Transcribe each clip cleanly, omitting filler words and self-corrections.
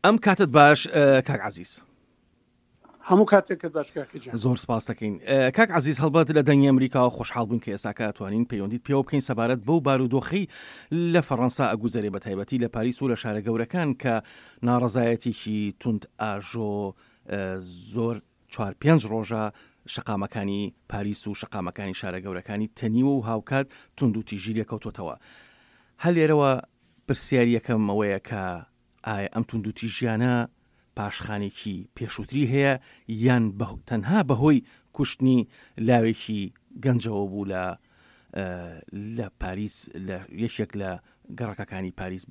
ئەم کاتت باش کاک عزیز. هەموو کاتێکت باش کاکە گیان. زۆر سپاس دەکەین کاک عەزیز هەڵبەت لە دەنگی ئەمریکاوە خۆشحاڵ بووین کە ئێستاکە ئەتوانین پەیوەندیت پێوە بکەین سەبارەت بەو بارودۆخەی لە فەڕەنسا ئەگوزەرێ بە تایبەتی لە پاریس و لە شارە گەورەکان کە ناڕەزایەتێکی توند ئاژۆ زۆر چوار پێنج ڕۆژە شەقامەکانی پاریس و شەقامەکانی شارە گەورەکانی تەنیوە و هاوکات توندوتیژی لێکەوتۆتەوە هەر لێرەوە پرسیاری یەکەم ئەوەیە کە ئایا ئەم توندوتیژیانە پاشخانێکی پێشووتری هەیە یان تەنها بەهۆی کوشتنی لاوێکی گەنجەوە بوو لە لە پاریس لە یەکێک لە گەڕەکەکانی پاریس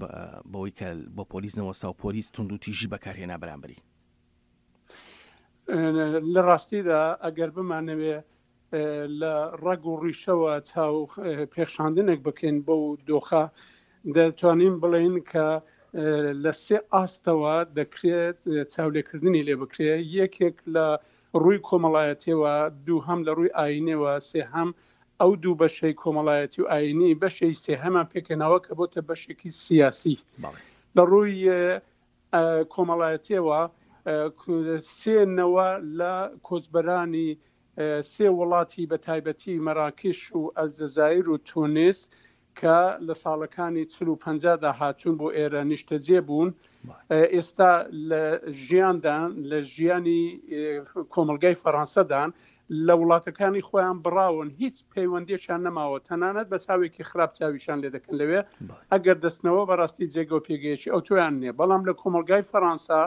بەوەی کە بۆ پۆلیس نەوەستا و پۆلیس توندوتیژی بەکارهێنا بەرامبەری؟ لە ڕاستیدا ئەگەر بمانەوێ لە ڕەگ و ڕیشەوە چاو پێخشاندنێک بکەین بەو دۆخە دەتوانین بڵێین کە لە سێ ئاستەوە دەکرێت چاولێکردنی لێ بکرێت یەکێک لە ڕووی کۆمەڵایەتیەوە دووهەم لە ڕووی ئاینەوە سێهەم ئەو دوو بەشەی کۆمەڵایەتی و ئاینی بەشەی سێهەمان پێکهێناوە کە بۆتە بەشێکی سیاسی لە ڕووی کۆمەڵایەتیەوە سێ نەوە لە کۆچبەرانی سێ وڵاتی بە تایبەتی مەراکش و ئەلجەزایر و تونس کە لە ساڵەکانی چل و 50 دا هاتوون بۆ ئێرە نیشتەجێ بوون ئێستا لە ژیاندان لە ژیانی کۆمەلگای فەڕەنسەدان لە وڵاتەکانی خۆیان بڕاون هیچ پەیوەندیەکیان نەماوە تەنانەت بە چاوێکی خراپ چاویشان لێ دەکەن لەوێ ئەگەر دەستنەوە بەڕاستی جێگە و پێگەیەکی ئەوتۆیان نییە بەڵام لە کۆمەلگای فەڕەنسا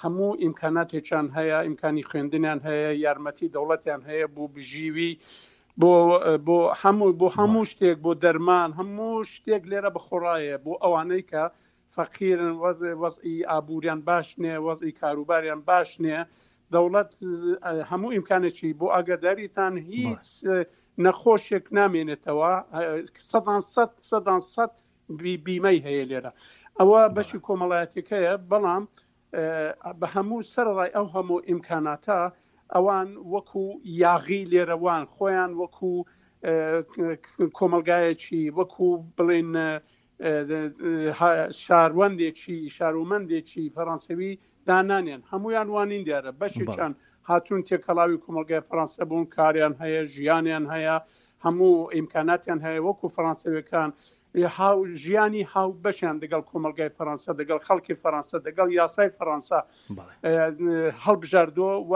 هەموو ئیمکاناتێکیان هەیە ئیمکانی خوێندنیان هەیە یارمەتی دەوڵەتیان هەیە بۆ بژیوی بۆ بۆ هەموو بۆ هەموو شتێک بۆ دەرمان هەموو شتێک لێرە بەخۆڕایە بۆ ئەوانەی کە فەقیرن وەزعی ئابووریان باش نییە وەزعی کاروباریان باش نییە دەوڵەت هەموو ئیمکانێکی بۆ ئاگاداریتان هیچ نەخۆشێک نامێنێتەوە سەدان سەد سەدان سەد بیمەی هەیە لێرە ئەوە بەشی کۆمەڵایەتەکەیە بەڵام بە هەموو سەرڕای ئەو هەموو ئیمکاناتە ئەوان وەکو یاغی لێرەوان خۆیان وەکو کۆمەلگایەکی وەکو بڵێن شاروەندێکی شارومەندێکی فەڕەنسەوی دانانێن هەمویان وانین دیارە بەشێکیان هاتوون تێکەڵاوی کۆمەلگای فەڕەنسە بوون کاریان هەیە ژیانیان هەیە هەموو ئیمکاناتیان هەیە وەکو فەڕەنسەویەکان هاو ژیانی هاو بەشیان دەگەڵ کۆمەلگای فەڕەنسە دەگەڵ خەڵکی فەڕەنسە دەگەڵ یاسای فەڕەنسا هەڵبژاردووە و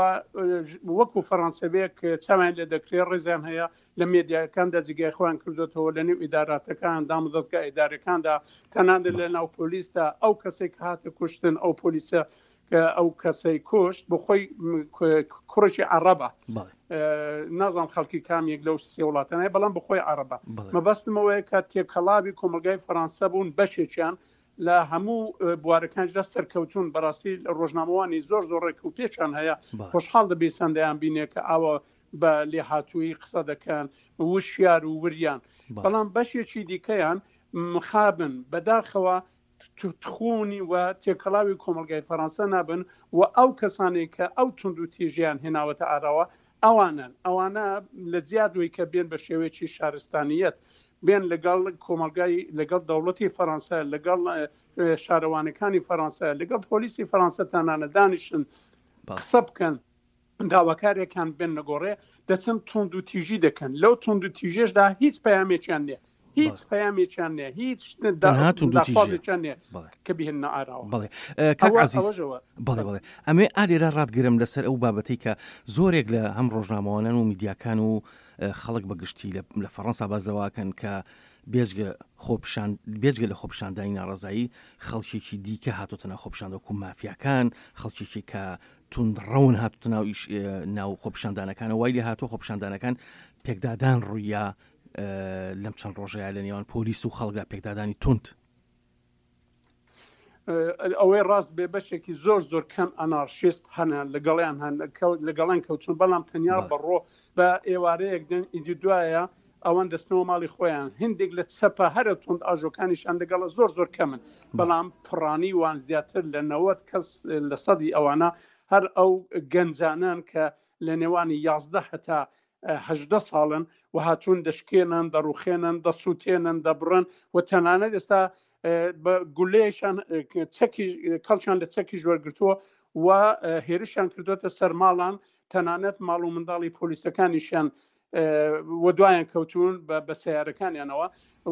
وەکو فەڕەنسەویەک چاویان لێ دەکرێت ڕێزیان هەیە لە مێدیاکاندا جێگای خۆیان کردوێتەوە لە نێو ئیداراتەکان دام و دەستگا ئیدارەکاندا تەنانەت لە ناو پۆلیسدا ئەو کەسێک کە هاتە کوشتن ئەو پۆلیسە کە ئەو کەسەی کوشت بۆ خۆی کوڕێکی عەڕەبە نازانم خەڵکی کام یەک لەو سێ وڵاتانە بەڵام بخۆی عەڕەبە مەبەستمەوەیە کە تێکەڵاوی کۆمەلگای فەڕەنسە بوون بەشێکیان لە هەموو بوارەکانشدا سەرکەوتون بەڕاستی ڕۆژنامەوانی زۆر زۆر ڕێک و پێچان هەیە خۆشحاڵ دەبی سندیان بینێ کە ئاوە بە لێهاتوویی قسە دەکەن وشیار و وریان بەڵام بەشێکی دیکەیان مخابن بەداخەوە تخونی و تێکەڵاوی کۆمەلگای فەرەنسا نابن و ئەو کەسانێک کە ئەو تونند و تیژیان هێناوەتە ئاراوە ئەوانن ئەوانە لە جیادوی کە بێن بە شێوەیەکی شارستانیەت بێن لەگەڵ کۆمەلگای لەگەڵ دەوڵەتی فەرەنسا لەگەڵ شارەوانەکانی فەرەنسا لەگەڵ پۆلیسی فەرەنسا تانانە دانیشن قسە بکەن داواکارێکان بێن نەگۆڕێ دەچن توند و تیژی دەکەن لەو توند و تیژێشدا هیچ پەیامێکیان نییە هیچ پەیامێکیان نییە هیچ داخوازێکیان نییە کە بهێننە ئاراوە بەڵێ کاک عەزیز بەڵێ بەڵێ ئەمێ ئالێرە ڕاتگرم لەسەر ئەو بابەتەی کە زۆرێک لە هەم ڕۆژنامەوانان و میدیاکان و خەڵک بە گشتی لە فەڕەنسا باس لەوەکەن کە بێجگە خۆپیشان بێجگە لە خۆپیشاندانی ناڕەزایی خەڵکێکی دیکە هاتۆتە ناو خۆپیشاندە وەکو مافیاکان خەڵکێکی کە توندڕەون هاتوتە ناو ئیش ناو خۆپیشاندانەکانە وای لێ هاتووە خۆپیشاندانەکان پێکدادان ڕوویا لەم چەند ڕۆژەیە لە نێوان پۆلیس و خەڵکدا پێکدادانی توند. ئەوەی ڕاست بێ بەشێکی زۆر زۆر کەم ئەنارشیست هەنە لەگەڵیان هەن لەگەڵیان کەوتون بەڵام تەنیا بەڕۆ بە ئێوارەیەک دێن ئیدی دوایە ئەوان دەستنەوە ماڵی خۆیان هندێک لە چەپە هەرە توند ئاژۆکانیشان لەگەڵە زۆر زۆر کەمن بەڵام پڕانی وان زیاتر لە 90 کەس لە سەدی ئەوانە هەر ئەو گەنجانان کە لە نێوانی 11 هەتا هەژدە ساڵن و هاتوون دەشکێنن دەڕوخێنن دەسووتێنن دەبڕن و تەنانەت ئێستا. بە گولەیەکیان چەکی کەڵکیان لە چەکیش وەرگرتووە و هێرشیان کردوێتە سەر ماڵان تەنانەت ماڵ و منداڵی پۆلیسەکانیشیان و دوایان کەوتون بە سیارەکانیانەوە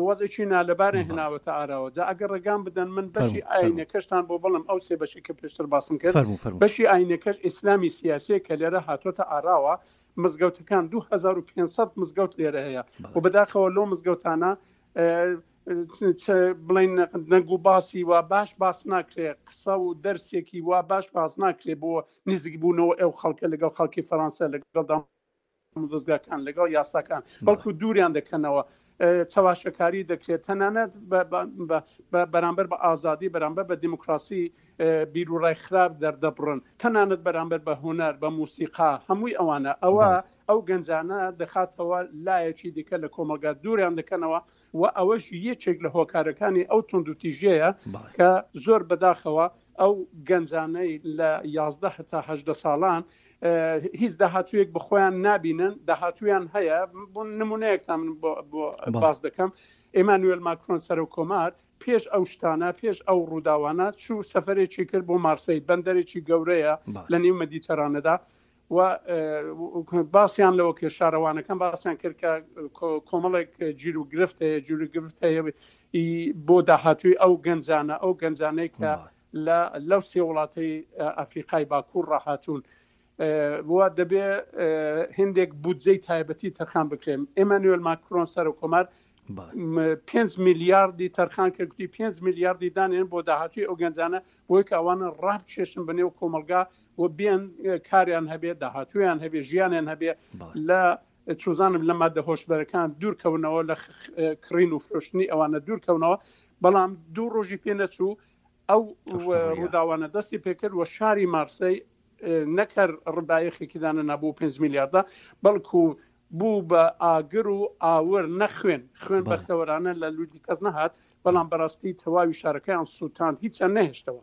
وەزێکی نالەبارە هێناوەتە ئاراوە جا ئەگەر ڕێگام بدەن من بەشی ئاینەکەشتان بۆ بڵم ئەو سێ بەشی کە پێشتر باسم کرد بەشی ئاینەکەش ئیسلامی سیاسیە کە لێرە هاتۆتە ئاراوە مزگەوتەکان 2500 مزگەوت لێرە هەیە و بەداخەوە لۆ مزگەوتانە بڵین دەنگ و باسی وا باش باس ناکرێ قسە و دەرسێکی وا باش باس ناکرێ بۆ نزیک بوونەوە ئەو خەڵکە لەگەڵ خەڵکی فەرەنسا لەگەڵ دەزگاکان لەگەڵ یاساکان بەڵکو دووریان دەکەنەوە چەواشەکاری دەکرێت تەنانەت بەرامبەر بە ئازادی بەرامبەر بە دیموکراسی بیرروڕای خراپ دەردەبڕن تەنانەت بەرامبەر بە هوەر بە موسیقا هەمووی ئەوانە ئەوە ئەو گەنجانە دەخاتەوە لایەکی دیکە لە کۆمەڵگا دووریان دەکەنەوە و ئەوەش یەکێک لە هۆکارەکانی ئەو توندوتیژیەیە کە زۆر بەداخەوە ئەو گەنجانەی لە یازدە هەتا هەژدە ساڵان هیچ داهاتوویەک بە خۆیان نابینن داهاتویان هەیە بۆ نمونەیەکتان من بۆ باس دەکەم ئێمانوێل ماکرۆن سەرۆک کۆمار پێش ئەو شتانە پێش ئەو ڕووداوانە چوو سەفەرێکی کرد بۆ مارسەی بەندەرێکی گەورەیە لە نێو مەدیتەرانەدا و باسیان لەوە کرد شارەوانەکان باسیان کرد کە کۆمەڵێک گیر و گرفت هەیە گیر و گرفت هەیە بۆ داهاتووی ئەو گەنجانە ئەو گەنجانەی کە لە لەو سێ وڵاتەی ئەفریقای باکوور ڕاهاتوون و دەبێ هندێک بودجەی تایبەتی تەرخان بکرێن ئێمانوێل ماکرۆن سەرۆک کۆمار 5 میلیاردی تەرخان کرد گوتی 5 میلیاردی دانێن بۆ داهاتوی ئەو گەنجانە بۆی کە ئەوانە ڕابکێشن بە نێو کۆمەلگا و بێن کاریان هەبێ داهاتویان هەبێ ژیانیان هەبێ لە چوزانم لە مادە هۆشبەرەکان دوورکەونەوە لە کڕین و فرۆشتنی ئەوانە دوورکەونەوە بەڵام دوو ڕۆژی پێ نەچوو ئەو ڕووداوانە دەستی پێکرد و شاری مارسەی نەکەر ڕبایەخێکی دانە نابوو 5 میلیاردا بەڵکو بوو بە ئاگر و ئاور نە خوێن خوێن بەختەوەرانە لە لوتی کەس نەهات بەڵام بەڕاستی تەواوی شارەکەیان سووتاند هیچیان نەهێشتەوە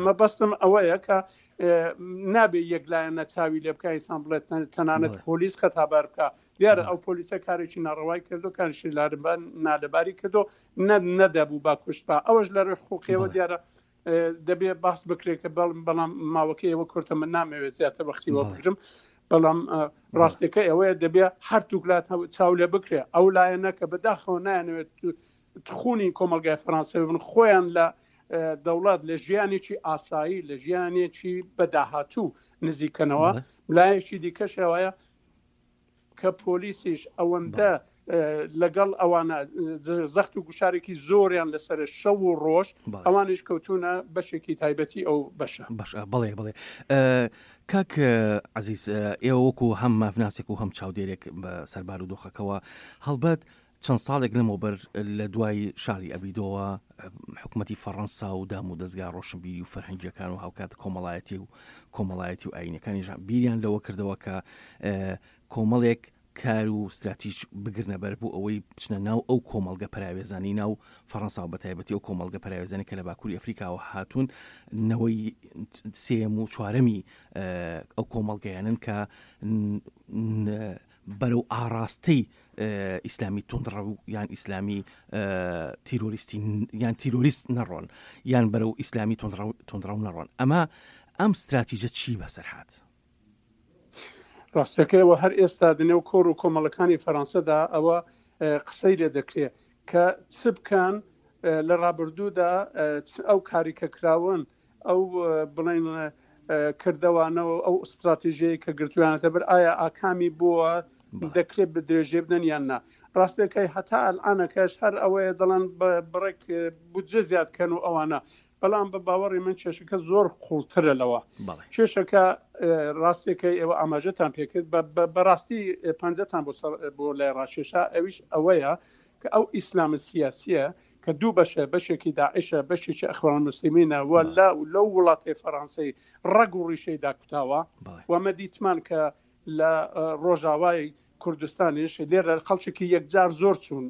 مەبەستم ئەوەیە کە نابێ یەکلایەنە چاوی لێ بکە ئینسان بڵێت تەنانەت پۆلیس خەتابار بکە دیارە ئەو پۆلیسە کارێکی ناڕەوای کردو کارشی نالەباری کردو نەدەبوو با کوشت با ئەوەش لە ڕێ حقوقیەوە دیارە دەبێ باس بکرێت کە بەڵم بەڵام ماوەکە ئێوە کورتە من نامەوێت زیاتر وەختی وەبگرم بەڵام ڕاستەکە ئەوەیە دەبێ هەرتووک لا چاو لێ بکرێ ئەو لایەنە کە بەداخەوە نایانەوێت تخونی کۆمەلگای فەرانسەوی بن خۆیان لە دەوڵەت لە ژیانێکی ئاسایی لە ژیانێکی بەداهاتوو نزیکەنەوە لایەکی دیکەشەوەیە کە پۆلیسیش ئەوەندە لەگەڵ ئەوانە زەخت و گوشارێکی زۆریان لەسەر شەو و ڕۆژ ئەوانیش کەوتونە بەشێکی تایبەتی ئەو بەشە بەش بڵێ بڵێ کاک عزیز ئێوە وەکو هەم مافناسێک و هەم چاودێرێک بە سەربار و دۆخەکەوە هەڵبەت چەند ساڵێک لەمەوبەر لە دوای شاری ئەبیدۆوە حکومەتی فەڕەنسا و دام و دەزگا ڕۆشنبیری و فەرهەنگیەکان و هاوکات کۆمەڵایەتی و کۆمەڵایەتی و ئاینەکانیش بیریان لەوە کردەوە کە کۆمەڵێک کار و ستراتیژ بگرنە بەر بۆ ئەوەی بچنە ناو ئەو کۆمەڵگە پەراوێزانی ناو فەڕەنسا و بەتایبەتی ئەو کۆمەڵگە پەراوێزانی کە لە باکووری ئەفریکاوە هاتوون نەوەی سێم و چوارەمی ئەو کۆمەڵگەیانن کە بەرەو ئاڕاستەی ئیسلامی توندڕەو یان ئیسلامی تیرۆریستی یان تیرۆریست نەڕۆن یان بەرەو ئیسلامی توندڕەو نەڕۆن ئەمە ئەم ستراتیجە چی بەسەر هات؟ ڕاستەکەیەوە هەر ئێستا دنێو کۆڕ و کۆمەڵەکانی فەرەنسەدا ئەوە قسەی لێ دەکرێت کە چ بکەن لە ڕابردوودا ئەو کاری کە کراون ئەو بڵێن کردەوانە و ئەو ئستراتیژەیە کە گرتویانەتە بەر ئایا ئاکامی بووە دەکرێت بە درێژێ بدەن یان نا ڕاستەکەی هەتا ئەلعانەکەش هەر ئەوەیە دەڵێن بڕێک بودجە زیاد کەن و ئەوانە بەڵام بە باوەڕی من کێشەکە زۆر قوڵترە لەوە کێشەکە ڕاستەکەی ئێوە ئاماژەتان پێکرد بەڕاستی پەنجەتان بۆ بۆ لای ڕاکێشا ئەویش ئەوەیە کە ئەو ئیسلامە سیاسیە کە دوو بەشە بەشێکی داعشە بەشێکی ئەخوان موسلمینە و لە لەو وڵاتی فەڕەنسەی ڕەگ و ڕیشەی داکوتاوە و ئەمە دیتمان کە لە ڕۆژاوای کوردستانیش لێرە خەڵکێکی یەکجار زۆر چوون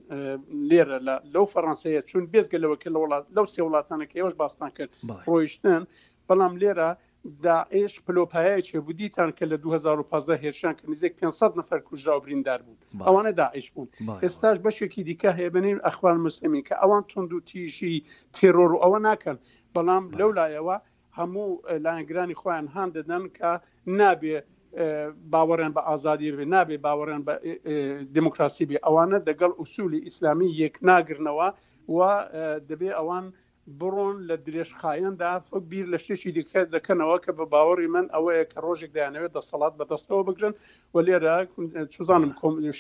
لێرە لە لەو فەڕەنسەیە چوون بێزگە لەوە کە لە وڵات لەو سێ وڵاتانە کە ئێوەش باستان کرد ڕۆیشتن بەڵام لێرە. داعش پلۆپایەکی هەبوو دیتان کە لە 2015 هێرشان کە نزیک 500 نەفەر کوژرا و بریندار بوون ئەوانە داعش بوون ئێستاش بەشێکی دیکە هەیە بەنێو ئەخوان مسلمین کە ئەوان تونند و تیژی تێرۆر و ئەوە ناکەن بەڵام لەو لایەوە هەموو لایەنگرانی خۆیان هان دەدەن کە نابێ باوەڕیان بە ئازادی بێ نابێ باوەڕیان بە دموکراسی بێ ئەوانە دەگەڵ ئوسولی ئیسلامی یەک ناگرنەوە و دەبێ ئەوان بڕۆن لە درێژخایەندا بیر لە شتێکی دیکە دەکەنەوە کە بە باوەڕی من ئەوەیە کە ڕۆژێک دەیانەوێت دەسەڵات بەدەستەوە بگرن و لێرە چزانم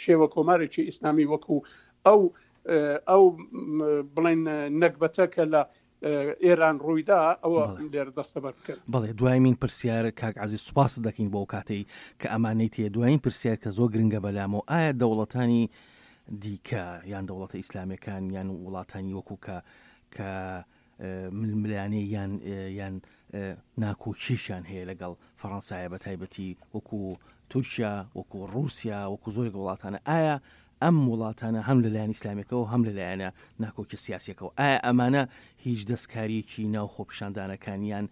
شێوە کۆمارێکی ئیسلامی وەکو ئەو ئەو بڵێن نەگبەتە کە لە ئێران ڕوویدا ئەوە لێرە دەستەبەر بکەن. بەڵێ دوایمین پرسیار کاک عەزیز سوپاست دەکەین بۆ ئەو کاتەی کە ئەمانەی تێ دوایین پرسیار کە زۆر گرنگە بەلامەوە ئایا دەوڵەتانی دیکە یان دەوڵەتە ئیسلامیەکان یان وڵاتانی وەکو کە کە ململانێ یان یان ناکۆکیشیان هەیە لەگەڵ فەڕەنسایە بە تایبەتی وەکو تورکیا وەکو ڕووسیا وەکو زۆرێک وڵاتانە ئایا ئەم وڵاتانە هەم لەلایەن ئیسلامیەکەوە هەم لەلایەنە ناکۆکیە سیاسیەکەوە ئایا ئەمانە هیچ دەستکاریەکی ناو خۆپیشاندانەکان یان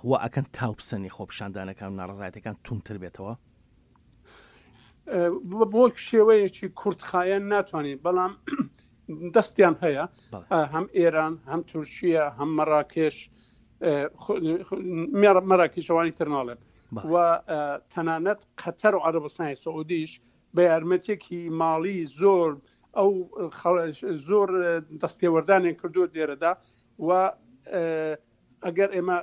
وا ئەکەن تاو بسەنێ خۆپیشاندانەکان و ناڕەزایەتەکان توندتر بێتەوە؟ بۆ شێوەیەکی کورتخایەن ناتوانین بەڵام دەستیان هەیە هەم ئێران هەم تورکیا هەم مەراکێش مەراکیشەوانی تر ناڵێم و تەنانەت قەتەر و عەرەبستانی سعودیش بە یارمەتیەکی ماڵی زۆر ئەو زۆر دەستێوەردانیان کردووە لێرەدا و ئەگەر ئێمە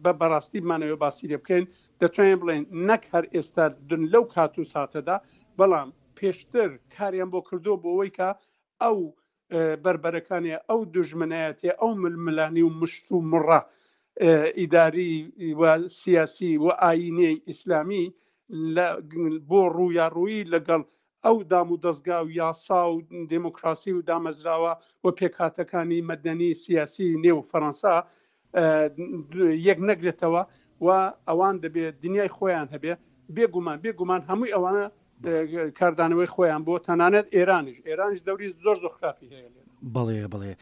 بە بەڕاستی بمانەوێ باسی لێ بکەین دەتوانین بڵێن نەک هەر ئێستا دن لەو کات و ساتەدا بەڵام پێشتر کاریان بۆ کردو بۆ ئەوەی کە ئەو بەربەرەکانێ ئەو دوژمنایەتیە ئەو ململانی و مشت و مڕە ئیداری و سیاسی و ئاینیی ئیسلامی بۆ ڕوویاڕوویی لەگەڵ ئەو دام و دەزگا و یاسا و دێموکراسی و دامەزراوە و پێکهاتەکانی مەدەنی سیاسی نێو فەرەنسا یەک نەگرێتەوە و ئەوان دەبێ دنیای خۆیان هەبێ بێگومان بێگومان هەمووی ئەوانە کاردانەوەی خۆیان بۆ تەنانەت ئێرانیش ئێرانیش دەوری زۆر زۆر خراپی هەیە لێرە. بەڵێ بەڵێ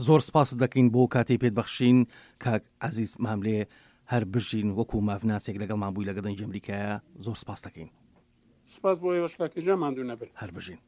زۆر سپاست دەکەین بۆ کاتەی پێت بەخشین کاک عەزیز ماملێ هەر بژین وەکو مافناسێک لەگەڵمان بووی لەگە دەنگی ئەمریکایە زۆر سپاست دەکەین. سپاس بۆ ئێوەش کاکە گیان ماندوو نەبن. هەر بژین.